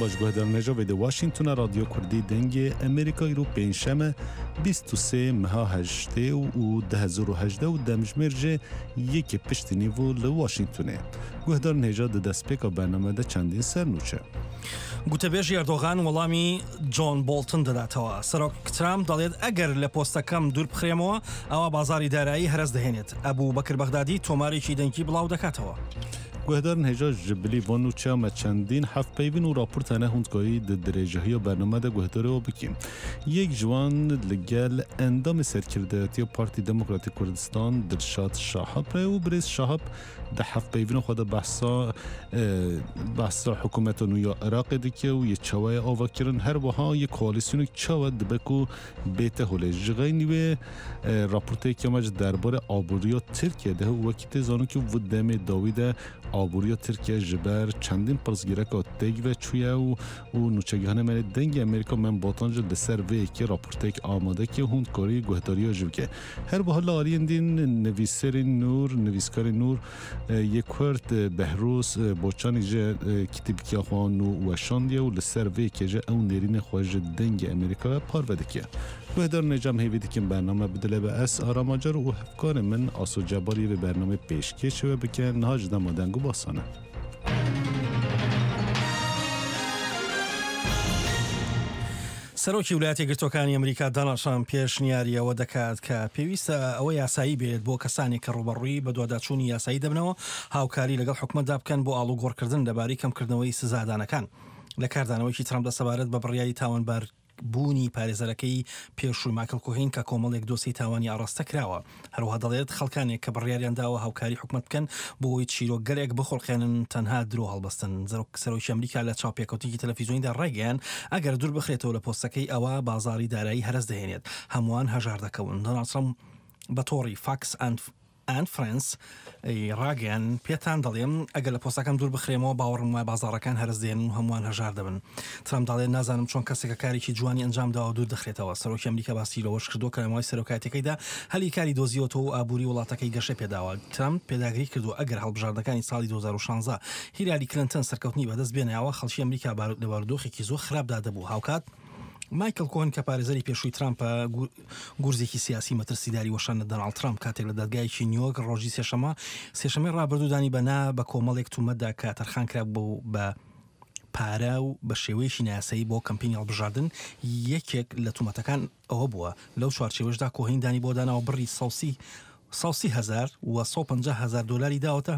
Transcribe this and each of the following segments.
Dem baş guhdarên hêja vê di Washingtona Radyo Kurdî Dengê Amerîka îro pêncşeme 23 meha heştê û 2018 û demjimêr jê yekê piştî nîvo li Washingtonê. Guhdarên hêja di destpêka bername de çendîn sernûçe. گوتەبێژی ئەردۆغان وەڵامی جۆن بۆڵتن دەداتەوە. سەرۆک ترامپ دەڵێت ئەگەر لە پۆستەکەم دوور بخرێمەوە ئەوا بازاڕی دارایی هەرەس دەهێنێت. ئەبو بەکر بەغدادی تۆمارێکی دەنگی بڵاو دەکاتەوە. Guhdarên hêja ji bilî van nûçeya me çendîn hevpeyvîn û raport hene hûn dikarî di dirêjahiya bername de guhdarê we bikî. Yek ji wan li gel endamê serkirdayetiya Partî Demokratîk Kurdistan Dilşad Şahab re û birêz Şahab Di hevpeyvîna xwe de behsa behsa hikûmeta nû ya Iraqê dike û yê çawa ye ava kirin her wiha yê koalîsyonek çawa dibe ku bête holê. Ji xeynî wê raporteyeke me ji derbarê aboriya Tirkiye de û wekî tê zanîn ku vê demê dawî de aboriya Tirkiye ji ber çendîn pirsgireka têk ve çûye û û nûçegihanê me yê Dengê Amerîka Mem Botan jî li ser vê yekê raporteyek amade kir hûn dikarî guhdariya jî bike. Her wiha li aliyên din nivîserên nûr, nivîskarên nûr yê Kurd Behrûz Boçanî jî kitêbikiya xwe nû weşandiye û li ser vê yekê jî ew nêrînên xwe ji Dengê Amerîka re parve dike. Guhdar Necam hêvî dikim bername bi dile be ez Aram Acar û hevkarê min Aso Cebarî vê bernameyê pêşkêşê we bike niha ji dema deng û basan e. سەرۆکی ویلایەتە یەکگرتووەکانی ئەمریکا داناڵد ترامپ پێشنیاری ئەوە دەکات کە پێویستە ئەوە یاسایی بێت بۆ کەسانێک کە ڕووبەڕووی بەدواداچوونی یاسایی دەبنەوە هاوکاری لەگەڵ حکومەتدا بکەن بۆ ئاڵوگۆڕکردن لەبارەی کەمکردنەوەی سزادانەکان. لە کاردانەوەیەکی ترامپدا سەبارەت بە بڕیاری تاوانبار بوونی پارێزەرەکەی پێشووی مایکڵ کۆهین کە کۆمەڵێک دۆسیەی تاوانی ئاڕاستە کراوە. هەروەها دەڵێت خەڵکانێک کە بڕیاریان داوە هاوکاری حکومەت بکەن بۆ ئەوەی چیرۆکگەلێک بخوڵقێنن تەنها درۆ هەڵبەستن. سەرۆکی ئەمریکا لە چاوپێکەوتنێکی تەلەفیزیۆنیدا ڕایگەیاند ئەگەر دوور بخرێتەوە لە پۆستەکەی ئەوا بازاڕی دارایی هەرەس دەهێنێت هەمووان هەژار دەکەون. دۆناڵد ترەمپ بە تۆڕی فاکس ئاند ئاند فرێندز ی ڕاگەیاند، پێتان دەڵێم، ئەگەر لە پۆستەکەم دوور بخرێمەوە، باوەڕم وایە بازاڕەکان هەرەس دێنن و هەمووان هەژار دەبن. ترەمپ دەڵێت، نازانم چۆن کەسێک کە کارێکی جوانی ئەنجامداوە دوور دەخرێتەوە. سەرۆکی ئەمریکا باسی لەوەش کردووە کە لە ماوەی سەرۆکایەتیەکەیدا هەلی کاری دۆزیوەتەوە و ئابووری وڵاتەکەی گەشەی پێداوە. ترەمپ پێداگری کردووە، ئەگەر هەڵبژاردنەکانی ساڵی 2016 هیلاری کلنتن سەرکەوتنی بەدەست بێنایەوە، خەڵکی ئەمریکا لە بارودۆخێکی زۆر خراپدا دەبوو. هاوکات مایکڵ کۆهن کە پارێزەری پێشووی ترامپە گورزێکی سیاسی مەترسیداری وەشاندە دۆناڵد ترامپ کاتێک لە دادگایەکی نیویۆرک ڕۆژی سێشەمە سێشەمەی ڕابردوو دانی بە نا بە کۆمەڵێک تومەتدا کە تەرخان کرابوو بە پارە و بە شێوەیەکی نایاسایی بۆ کەمپینی هەڵبژاردن یەکێک لە تومەتەکان ئەوە بووە لەو چوارچێوەشدا کۆهین دانی بۆ داناوە بڕی 130 هەزار و 150 هەزار دۆلاری داوەتە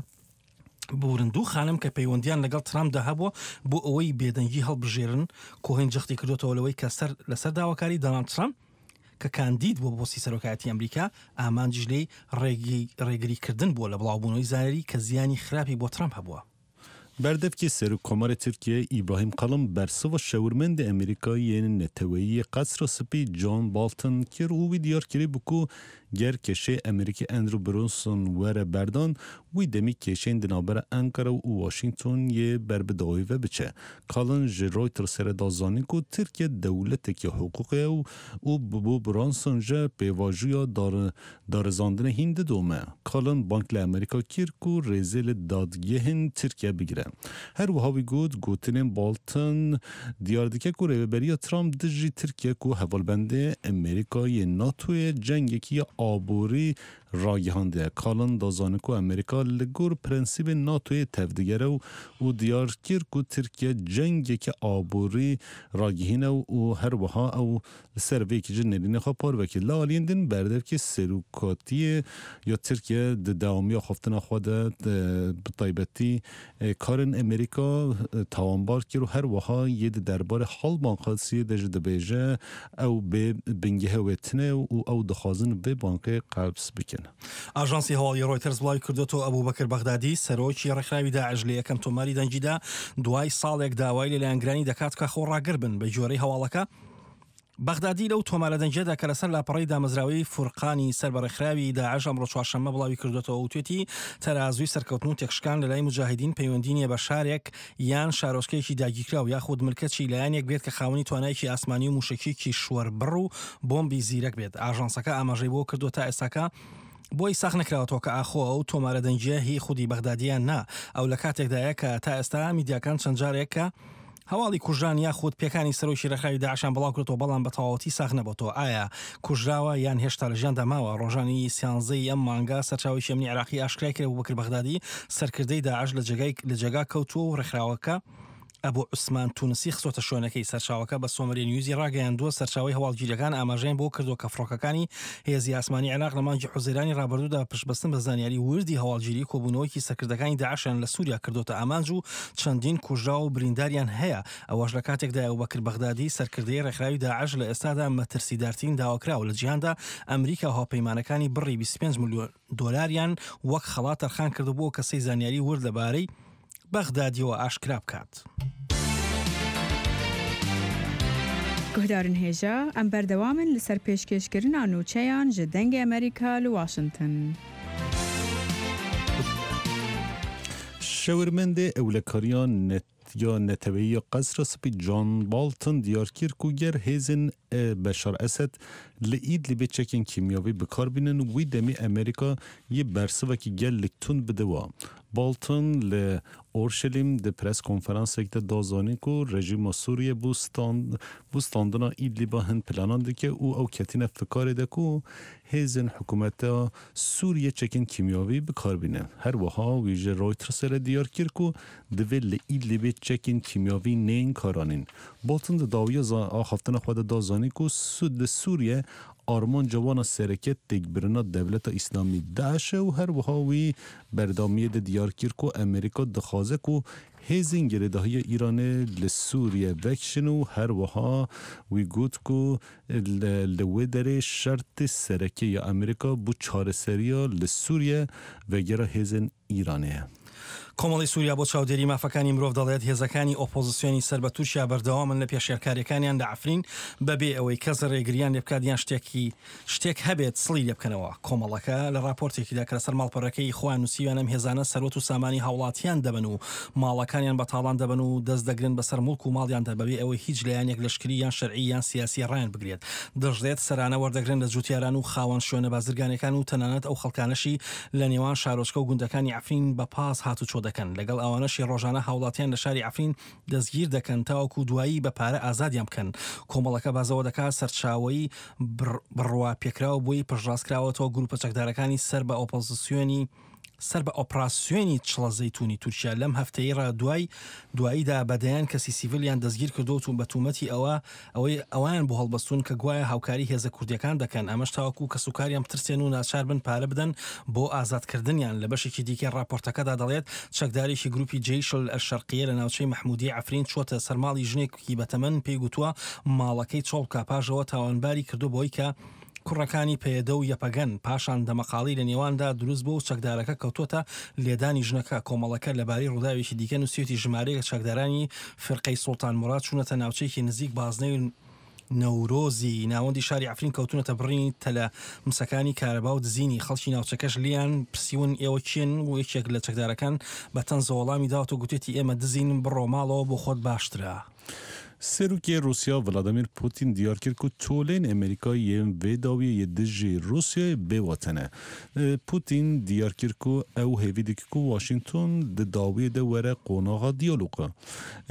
ببورن دوو خانم کە پەیوەندیان لەگەڵ ترامپدا هەبووە بۆ ئەوەی بێدەنگی هەڵبژێرن، کۆهێن جەختی کردۆتەوە لەوەی کە سەر لەسەر داواکاری دۆناڵد ترامپ کە کاندید بووە بۆ پۆستی سەرۆکایەتی ئەمریکا، ئامانجیش لێی ڕێگریکردن بووە لە بڵاوبوونەوەی زانیاری کە زیانی خراپی بۆ ترامپ هەبووە. Berdevkê Serokkomarê Tirkiyeyê Îbrahîm Kalin bersiva şewirmendê Amerîka yên neteweyî yê Qesra Spî John Bolton kir û wî diyar kirîbû ku ger keşeyê Amerîkî Andrew Brunson were berdan, wî demî kêşeyên di navbera Ankara û Washington yê ber bi dawî ve biçe. Kalin ji Reutersê re da zanîn ku Tirkiye dewletekî hiqûqê ye û bo Brunson ji pêvajoya Darizandinê hîn didome. Kalin bang li Amerîka kir ku rêzê li dadgehên Tirkiye bigire. Her wiha wî got, gotinên Bolton diyar dike ku rêveberiya Trump dijî Tirkiye ku hevalbendê Amerîka yê NATOyê cengekî ya aborî ragihandiye. Kalin da zanîn ku Amerîka li gor prensîbên NATOyê tevdigere û diyar kir ku Tirkiye cengeke aborî ragihîne û her wiha ew Li ser vê yekê jî nêrînê xwe parve kir. Li aliyên din berdevkê Serokatiyê ya Tirkiye di dewamiya xweftina xwe de bi taybetî karên Amerîka tawanbar kir û her wiha yê di derbarê Hal Bankasiyê de jî dibêje ew bê bingehê wê tune û ew dixwazin vê bankê qels bikin. ئاژانسی هەواڵی ڕۆیتەرز بڵاوی کردۆتەوە، ئەبوبەکر بەغدادی، سەرۆکی ڕێکخراوی داعش لە یەکەم تۆماری دەنگیدا دوای ساڵێک داوای لە لایەنگرانی دەکات کە خۆڕاگر بن. بەگوێرەی هەواڵەکە، بەغدادی لەو تۆمارە دەنگیەدا کە لەسەر لاپەڕەی دامەزراوەی فورقانی سەر بە ڕێکخراوی داعش ئەمڕۆ چوارشەممە بڵاوی کردووەتەوە وتوێتی، تەرازووی سەرکەوتن و تێکشکان لەلای موجاهیدین پەیوەندی نییە بە شارێک یان شارۆچکەیەکی داگیرکراو یاخود ملکەچی لایەنێک بێت کە خاوەنی توانایەکی ئاسمانی و موشەکی کیشوەربڕ و بۆمبی زیرەک بێت. ئاژانسەکە ئاماژەی بەوە کردووە تا ئێستاکە بۆی ساغ نەکراوەتەوە کە ئاخۆ ئەو تۆمارە دەنگییە هی خودی بەغدادییە یان نا، ئەو لە کاتێکدایە کە تا ئێستا میدیاکان چەند جارێک کە. هەواڵی کوژران یاخود پێکانی سەرۆکی ڕێکخراوی داعشیان بڵاوکردەوە، بەڵام بە تەواوەتی ساغ نەبۆتەوە ئایا کوژراوە یان هێشتا لە ژیاندا ماوە. ڕۆژانی سیانزەی ئەم مانگە سەرچاوەیەکی ئەمنی عێراقی ئاشکرای کرد ئەبوبەکر بەغدادی سەرکردەی داعش لە جێگای لە جێگا کەوتووە و ڕێکخراوەکە ئەبو عوسمان تونسی خستۆتە شوێنەکەی. سەرچاوەکە بە سۆمەریە نیوزی ڕاگەیاندووە، سەرچاوەی هەواڵگیرییەکان ئاماژەیان بەوە کردووە کە فڕۆکەکانی هێزی ئاسمانی عێراق لە مانگی حوزەیرانی ڕابردوودا بە پشتبەستن بە زانیاری وردی هەواڵگیری کۆبوونەوەیەکی سەرکردەکانی داعشیان لە سووریا کردۆتە ئامانج و چەندین کوژراو و برینداریان هەیە، ئەوەش لە کاتێکدایە ئەبوبەکر بەغدادی سەرکردەی ڕێکخراوی داعش لە ئێستادا مەترسیدارترین داواکراوە لە جیهاندا، ئەمریکا و هاوپەیمانەکانی بڕی 25 ملیۆن دۆلاریان وەک خەڵات تەرخان کردووە بۆ ئەو کەسەی زانیاری ورد لەبارەی بەغدادیەوە ئاشکرا بکات. Guhdarên hêja, em berdewam in li ser pêşkêşkirina nûçeyan ji Dengê Amerîka li Washington. Şewirmendê Ewlekariya ya Neteweyî ya Qesra Spî John Bolton diyar kir ku ger hêzên Beşar Esed li Îdlibê çekên kîmyavî bi kar bînin wî demî Amerîka yê bersivekî gelek tund bide wa. Bolton li Orşelîm di press konferansek de da zanîn ku rejîma Sûriyê bo bo standina Îdlîba hin planan dike û ew ketine fikarê de ku hêzên hikûmeta Sûriyê çekên kîmyavî bi kar bîne. Her wiha wî ji Reutersê re diyar kir ku divê li Îdlîbê çekên kîmyavî neyên karanîn. Bolton di dawiya axaftina xwe de da zanîn ku li Sûriye armanca wan a sereke têkbirina Dewleta Îslamî, DAIŞ, e û her wiha wî berdamiyê de diyar kir ku Amerîka dixwaze ku hêzên girêdahiya Îranê li Sûriye vekişin û her wiha wî got ku li wê derê şertê sereke ya Amerîka bo çareseriya li Sûriye vegera hêzên Îranê ye. کۆمەڵەی سووریا بۆ چاودێری مافەکانی مرۆڤ دەڵێت، هێزەکانی ئۆپۆزسیۆنی سەر بە تورکیا بەردەوامن لە پێشێلکارییەکانیان لە عەفرین بەبێ ئەوەی کەس رێگرییان لێبکات یان شتێکی شتێک هەبێت سڵی لێبکەنەوە. کۆمەڵەکە لە راپۆرتێکیدا کە لەسەر ماڵپەڕەکەی خۆیان نووسیویانە ئەم هێزانە سەروەت و سامانی هاوڵاتیان دەبەن و ماڵەکانیان بە تاڵان دەبەن و دەست دەگرن بەسەر موڵک و ماڵیاندا بەبێ ئەوەی هیچ لایەنێک لەشکری یان شەرعی یان سیاسی ڕایان بگرێت. دەشڵێت سەرانە وەردەگرن لە جوتیاران و خاوەن شوێنە بازرگانیەکان و تەنانەت ئەو خەڵکانەشی لە نێوان شارۆچکە و گوندەکانی عەفرین بە پاس هاتوچۆ دەکەن، لەگەڵ ئەوانەشی ڕۆژانە هاوڵاتیان لە شاری عەفرین دەستگیر دەکەن تاوەکو دوایی بە پارە ئازادیان بکەن. کۆمەڵەکە باس لەوە دەکات سەرچاوەی بڕواپێکراو بۆی پشتڕاستکراوەتەوە گروپە چەکدارەکانی سەر بە ئۆپۆزسیۆنی سەر بە ئۆپراسیۆنی چڵە زەیتونی تورکیا لەم هەفتەیەی ڕا دوای دواییدا بە دەیان کەسی سیڤیلیان دەستگیر کردووە و بە تومەتی ئەوە ئەوەی ئەوەیان بۆ هەڵبەستوون کە گوایە هاوکاری هێزە کوردیەکان دەکەن ئەمەش تاوەکو کەسوکاریان بترسێن و ناچار بن پارە بدەن بۆ ئازادکردنیان لە بەشێکی دیکەی ڕاپۆرتەکەدا دەڵێت چەکدارێکی گروپی جەیش ئەلشەرقیە لە ناوچەی مەحمودیەی عەفرین چووەتە سەر ماڵی ژنێکی بەتەمەن پێی گوتووە ماڵەکەی چۆڵ بکە پاش ئەوە تاوانباری کردووە بەوەی کە کوڕەکانی پەیەدە و یەپەگەن، پاشان دەمەقاڵی لە نێواندا دروست بووە و چەکدارەکە کەوتووەتە لێدانی ژنەکە، کۆمەڵەکە لەبارەی ڕووداوێکی دیکە نووسیویەتی ژمارەیەک لە چەکدارانی فیرقەی سوڵتان موراد چوونەتە ناوچەیەکی نزیک بازنەی نەورۆزی ناوەندی شاری عەفرین کەوتوونەتە بڕینی تەلە مسەکانی کارەبا و دزینی، خەڵکی ناوچەکەش لێیان پرسیون ئێوە کێن و یەکێک لە چەکدارەکان بە تەنزەوە وەڵامی داوەتەوە گوتویەتی ئێمە دزین بڕۆ ماڵەوە بۆ خۆت باشترە. Serokê Rûsya Vladimir Putin diyar kir ku tolên Amerîka yên vê dawiyê yê dijî Rûsyayê bê wate ne. Putin diyar kir ku ew hêvî dike ku Washington di dawiyê de were qonaxa diyaloga.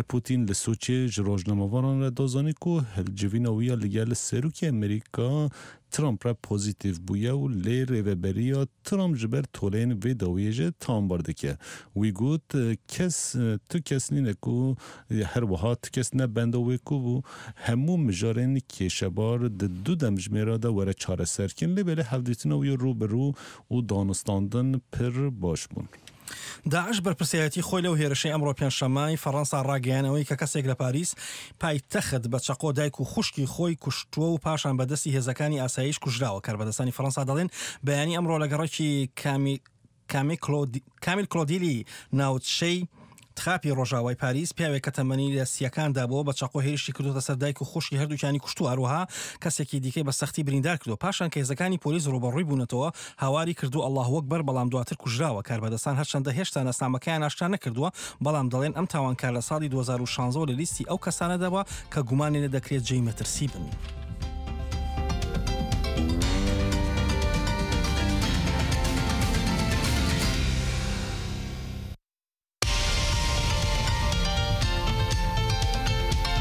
Putin li Soçiyê ji rojnamevanan re da zanîn ku hilcivîna wî ya li gel Serokê Amerîka Trump re pozîtîf bûye û lê rêveberiya Trump ji ber toleyên vê dawiyê jî tawanbar dike. Wî got, Kes, tu kes nîne ku her wiha tu kes ne benda wê ku bû hemû mijarên kêşebar di du demjimêra de were çareserkirin lê belê hevdîtina wî rû bi rû û danûstandin pir baş bûn. داعش بەرپرسیارێتی خۆی لەو هێرشەی ئەمڕۆ پێنجشەممەی فەڕەنسا ڕاگەیاند، ئەوەی کە کەسێک لە پاریس پایتەخت بە چەقۆ دایک و خوشکی خۆی کوشتووە و پاشان بە دەستی هێزەکانی ئاسایش کوژراوە. کاربەدەستانی فەڕەنسا دەڵێن بەیانی ئەمڕۆ لە گەڕەکی کامیل کلۆدیلی ناوچەی تخاپی ڕۆژاوای پاریس پیاوێک کە تەمەنی لە سییەکاندا بووە بە چەقۆ هێرشی کردووەتە سەر دایک و خوشکی هەردووکیانی کوشتووە، هەروەها کەسێکی دیکەی بە سەختی بریندار کردووە. پاشان کە هێزەکانی پۆلیس ڕووبەڕووی بوونەتەوە هاواری کردووە ئەڵڵاهوەکبەر بەڵام دواتر کوژراوە. کاربەدەستان هەرچەندە هێشتا ناسنامەکەیان ئاشکرا نەکردووە، بەڵام دەڵێن ئەم تاوانکار لە ساڵی 2016 لە لیستی ئەو کەسانەدا بووە کە گومانی لێ دەکرێت جێی مەترسی بن.